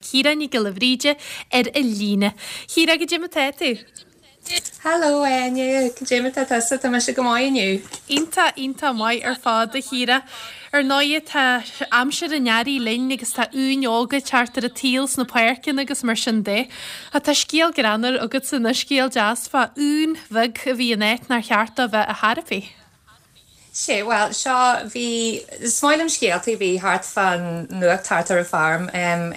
Ciara Ní Ghiolla Bhríde ar an líne. Ciara, goidé mar tá tú? Hello Áine, goidé mar tá tusa? Tá mise go maith inniu. Iontach, iontach maith ar fad a Chiara. Ar ndóighe tá aimsir an earraigh linn agus tá uain óga ag teacht ar an tsaol sna páirceanna agus mar sin de. Ach tá scéal greannmhar agatsa anois, scéal deas fá uain bheag a bhí in áit nár cheart dó bheith ar chor ar bith. Sea, bhuel, seo, bhí, is maith liom scéaltaí a bhí thart fán nuacht thart ar an bhfeirm,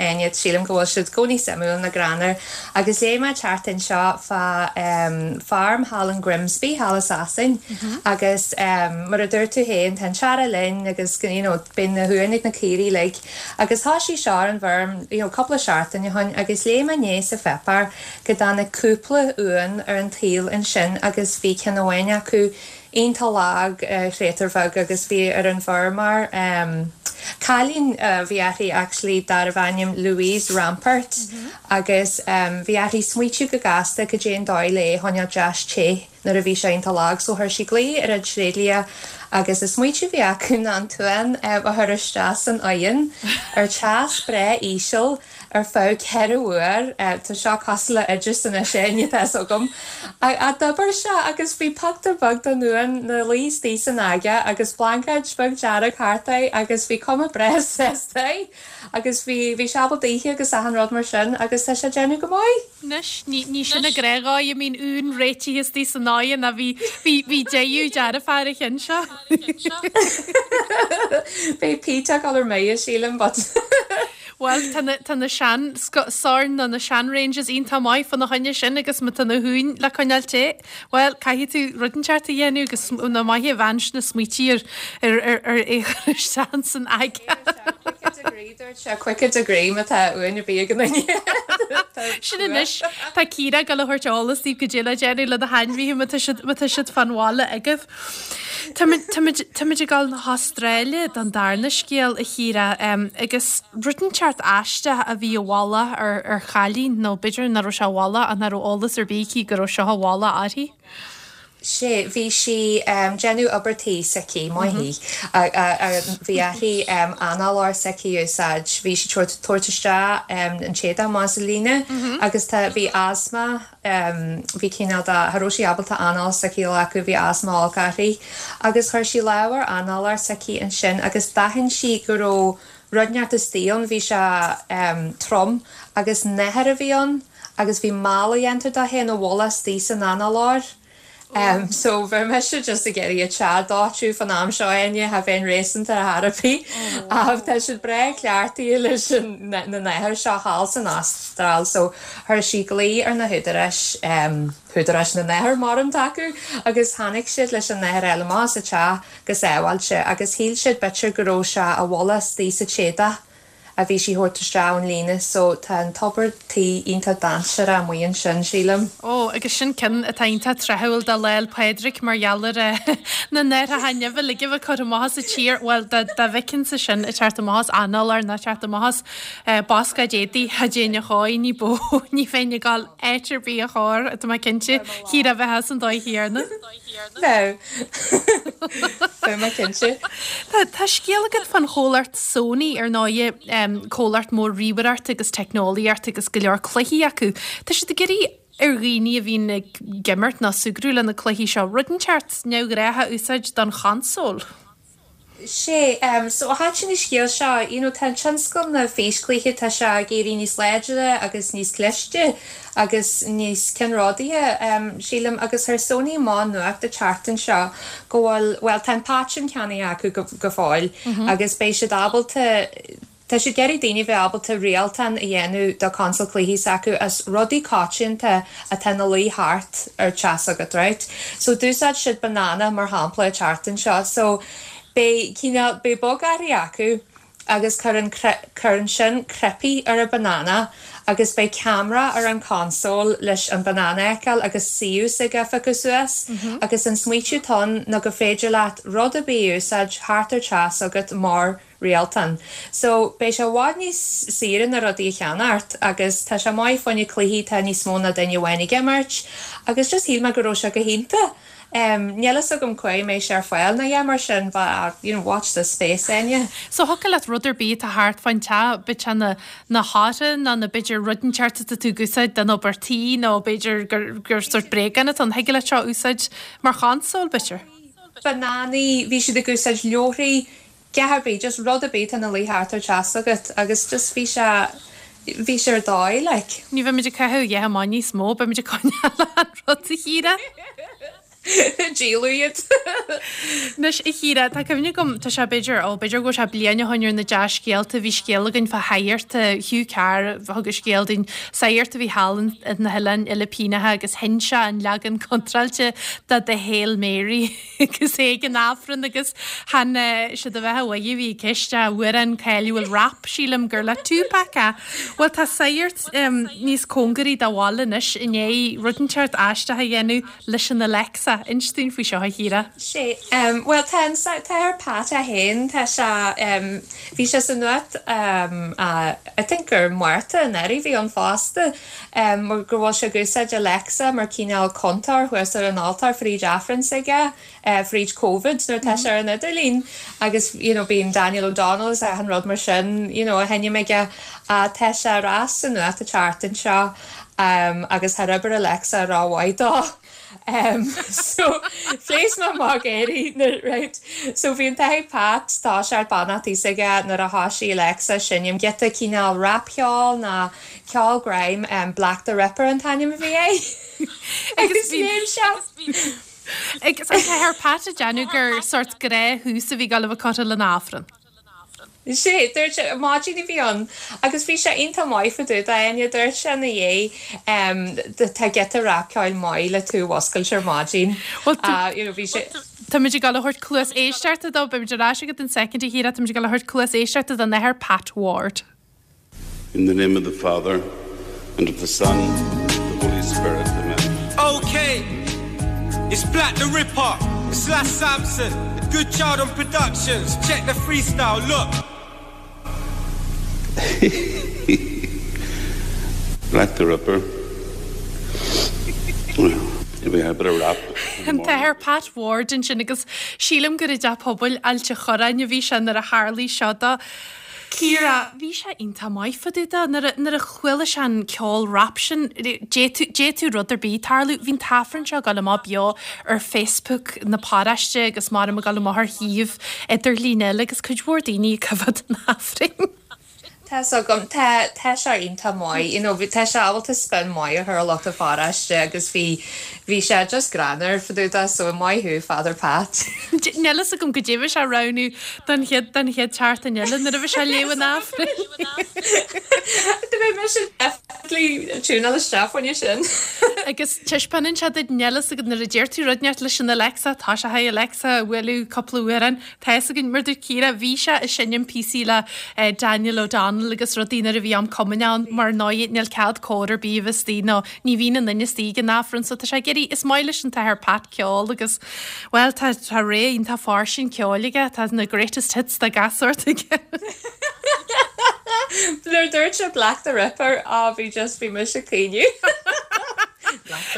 Áine, sílim go bhfuil siad i gcónaí suimiúil nó greannmhar. Agus léigh mé an tseachtain seo fá feirm thall in Grimsby, thall i Sasain, agus mar a dúirt tú féin, tá an t-earrach linn agus, you know, bíonn na huain ag na caoirigh uilig. Agus thoisigh seo ar an bhfeirm, you know, cúpla seachtain ó shoin agus léigh mé inné sa pháipéar go dtáinig cúpla uan ar an tsaol ansin agus bhí ceann amháin acu, iontach lag, créatúr bheag agus bhí ar an bhfeirmeoir, cailín a bhí uirthi actually darbh ainm Louise Rampert agus bhí uirthi smaoitiú go gasta cad é an dóigh le é a choinneáil deas te nuair a bhí sé iontach lag so chuir sí glao ar an tréidlia agus an smaoitiú a bhí acu ná an t-uan a chur isteach san oigheann ar teas breá íseal ar feadh 4 uair, tá seo cosúil le oideas anois Áine, tá fhios agam. Ach d'oibir sé agus bhí pioctúr beag den uan 'na luí istigh san aga agus blaincéid beag dearg thart air agus bhí cuma breá sásta air agus bhí bhí sé ábalta ithe agus achan rud mar sin agus tá sé ag déanamh go maith. Anois, ní ní sin an gnáthdhóigh a mbíonn uan réitithe istigh san oigheann ach bhí bhí bhí deighadh dearfach ar an cheann seo. Beidh Pete ag dul ar mire sílim but. Bhuel, tá na, tá na sean, sorn nó na sean ranges iontach maith fá na choinne sin agus má tá na huain le coinneáil te, bhuel, caithfidh tú rud inteacht a dhéanamh agus nó maith an bhean sin a smaoitigh ar, ar, ar, ar é a chur isteach san aga. Caoga degree, dúirt sé, caoga degree má tá uain ar bith ag an duine. Sin anois, tá Ciara ag dul a thabhairt eolas daoibh goidé le déanamh le na hainmhithe má tá siad, má tá siad fán bhaile agaibh. Táimid ag dul na hAstráile don darna scéal, a Chiara, agus rud inteacht aisteach a bhí i bhfolach ar chailín, nó b'fhéidir nach raibh sé i bhfolach ach nach raibh eolas ar bith aici go raibh seo i bhfolach uirthi. Sea, bhí sí déanamh obair tí s'aici, maith í. Bhí uirthi análóir s'aici a úsáid, bhí sí tabhairt isteach an t-éadach amach as an líne agus tá, bhí asma, Bhí cineál de, cha raibh sí ábalta anáil s'aici a ghlacadh, bhí asma olc uirthi. Agus chuir sí lámh ar análóir s'aici ansin agus d'aithin sí go raibh rud inteacht istigh ann, bhí sé trom agus nathair a bhí ann agus bhí mála dhéanta de féin i bhfolach istigh san análóir. So bheadh mise just ag iarraidh an teach a dóiteadh fán am seo Áine, cha bheinn réasúnta ar chor ar bith. Ach tá siad breá cleachtaithe leis na nathair seo thall san Astráil so chuir sí glao ar na húdaráis, húdaráis na nathar mar atá acu, agus tháinig siad leis an nathair a fháil amach as an teach go sábháilte agus shíl siad b'fhéidir go raibh sé i bhfolach istigh sa t-éadach. a bhí sí thabhairt isteach ón líne so tá an tobar tí iontach dainséarach amuigh ansin, sílim. Ó, agus sin ceann atá iontach tráthúil do Lá 'le Pádraig mar gheall ar na nathartha nimhe uilig a bheith curtha amach as an tír. Bhuel, dá bhfeicinnse sin ag teacht amach as análóir nó ag teacht amach as bascáid éadaigh, cha dtéinn a chóir, ní bó, ní bheinn ag dul áit ar bith a chóir, tá mé cinnte, Chiara, bheifeá san dóigh chéanna. Bheadh. Bheadh mé cinnte. Tá scéal agat fán chomhlacht Sony, ar ndóighe, comhlacht mór ríomhaireachta agus teicneolaíochta agus go leor cluichí acu. Tá siad ag iarraidh ar dhaoine a bhíonn ag imirt nó súgradh le na cluichí seo rud inteacht neamhghnách a úsáid don chonsól. Sea, so thaitin an scéal seo, you know, tá an tionscal na físchluiche, tá sé ag éirí níos láidre agus níos cliste agus níos ceannródaíche, sílim, agus chuir Sony amach nuacht an tseachtain seo go bhfuil, bhuel, tá an paitinn ceannaithe acu go, go fóill agus beidh siad ábalta, Tá siad ag iarraidh daoine bheith ábalta rialtán a dhéanamh do console cluichí s'acu as rudaí coitianta atá ina luí thart ar teach s'agat, right? So d'úsáid siad banana mar shampla an tseachtain seo. So beidh cineál, beidh bogearraí acu agus cuireann, cuireann sin cnaipí ar an banana agus beidh ceamara ar an console leis an banana a fheiceáil agus suíomh s'aige a phiocadh suas agus an smaoitiú atá ann ná go féidir leat rud ar bith a úsáid thart ar teach s'agat mar rialtán. So, beidh sé i bhfad níos saoire na rudaí a cheannacht agus tá sé maith fá choinne cluichí tá níos mó ná duine amháin ag imirt agus just shíl mé go raibh sé go hiontach. Níl fhios agam cá mbeidh sé ar fáil nó a dhath mar sin but you know watch this space Áine. So thiocfadh leat rud ar bith atá thart fán teach, bíodh sé na na hartáin nó na b'fhéidir rud inteacht atá tú ag úsáid don obair tí nó b'fhéidir gur gur sórt bréagán atá ann, thig leat seo a úsáid mar chonsól b'fhéidir. Bananaí, bhí siad ag úsáid leabharthaí, dhath ar bith, just rud ar bith atá ina luí thart ar teach agat agus just bhí sé, bhí sé ar dóigh like. Ní bheimid ag caitheamh a dhath amach níos mó, beimid ag coinneáil an rud a Chiara. Díoladh iad. Anois, a Chiara, tá cuimhne agam, tá sé b'fhéidir, ó, b'fhéidir go bhfuil sé bliain ó shoin ar na dea-scéalta, bhí scéal againn fá shagart, Hugh Carr a thug an scéal dúinn, sagart a bhí thall in na hOileáin Fhilipíneacha agus sheinn sé an leagan contráilte de The Hail Mary. agus é ag an Aifreann agus chan siad a bheith uaidh a bhí i gceist, amhrán cáiliúil rap, sílim gur le Tupac é. Bhuel tá sagart níos cóngaraí do bhaile anois i ndiaidh rud inteacht aisteach a dhéanamh leis an Alexa. Inis dúinn faoi seo, a Chiara. Sé, bhuel tá an tAthair Pat é féin, tá sé, bhí sé sa nuacht I think gur Márta anuraidh a bhí ann fosta. mar go bhfuil sé ag úsáid Alexa mar cineál cúntóir thuas ar an altóir fríd Aifreann s'aige, fríd Covid nuair atá sé ar an idirlíon agus you know bíonn Daniel O'Donnell is achan rud mar sin you know á sheinm aige. Tá sé ar ais sa nuacht an tseachtain seo agus thar obair Alexa rómhaith dó. So phléasc mé amach ag gáirí nuair right so bhí an tAthair Pat toiseacht beannachtaí s'aige nuair a thoisigh Alexa seinm giota cineál rapcheol ná ceol grime Black the Ripper an t-ainm a bhí air agus léim sé Agus an tAthair Pat ag déanamh gur sórt gnáth-thús a bhí ag dul a bheith curtha lena Aifreann. Sé, dúirt sé, maidin a bhí ann agus bhí sé iontach maith fá dtaobh de, Áine, dúirt sé ina dhiaidh, tá giota rapcheoil maith le tú a mhuscailt ar maidin. Bhuel, you know, bhí sé. Táimid ag dul a thabhairt cluas éisteachta dó, beimid ar ais agat in soicind a Chiara, táimid ag dul a thabhairt cluas éisteachta don Athair Pat Ward. In the name of the Father, and of the Son, and of the Holy Spirit, Amen. Okay, it's Black the Ripper, it's Lass Sampson, the Good Child on Productions, check the freestyle, look. Black the Ripper. We had a bit of rap. An tAthair Pat Ward ansin agus sílim gur i dTeach Pobail Ailt a' Chorráin a bhí sé nuair a tharlaigh seo dó. Ciara, Bhí sé iontach maith fá dtaobh de. Nuair a, nuair a chuala sé an ceol rap sin, d'fhéadfadh, d'fhéadfadh rud ar bith tarlú. Bhí an t-Aifreann seo ag dul amach beo ar Facebook na paróiste agus maram ag dul amach ar shuíomh idirlín eile agus cuid mhór daoine ag coimhéad an Aifrinn. Tá 's agam, tá, tá sé iontach maith, you know, tá sé ábalta spin maith a chur ar lucht an pharóiste agus bhí, bhí sé just greannmhar fá dtaobh de, so maith thú Father Pat. Níl fhios agam goidé bhí sé a roghnú don chéad, don chéad tseachtain eile nuair a bhí sé ag léamh an Aifrinn. Do bheidh mise definitely tiúnáil isteach fá choinne sin. Agus taispeánann sé duit, níl fhios agat nuair a deir tú rud inteacht leis an Alexa, tá sé hi Alexa a bhualadh cúpla amhrán Tá fhios againn, mar dúirt Ciara, bhí sé ag seinm píosaí le Daniel O'Donnell agus rudaí nuair a bhí am cumainn ann, mar ndóigh níl cead cór ar bith a bheith istigh nó ní bhíonn aon duine istigh ag an Aifreann so tá sé ag iarraidh, is maith leis an tAthair Pat ceol agus, bhuel, tá, tá rogha iontach fairsing ceoil aige, tá na greatest hits de gach sórt aige. Nuair a dúirt sé Black the Ripper, á bhí just, bhí mise ag caoineadh.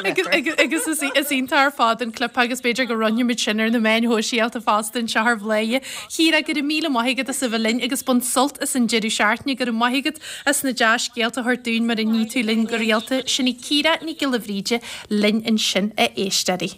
Agus is iontach ar fad an clip agus b'fhéidir go roinnfimid sin ar na meáin shóisialta fosta anseo ar Bhladhaire. Ciara, go raibh míle maith agat as a bheith linn agus bain sult as an deireadh seachtaine. Go raibh maith agat as na dea-scéalta a thabhairt dúinn mar a ní tú linn go rialta. Sin í Ciara Ní Ghiolla Bhríde linn ansin, a éisteoirí.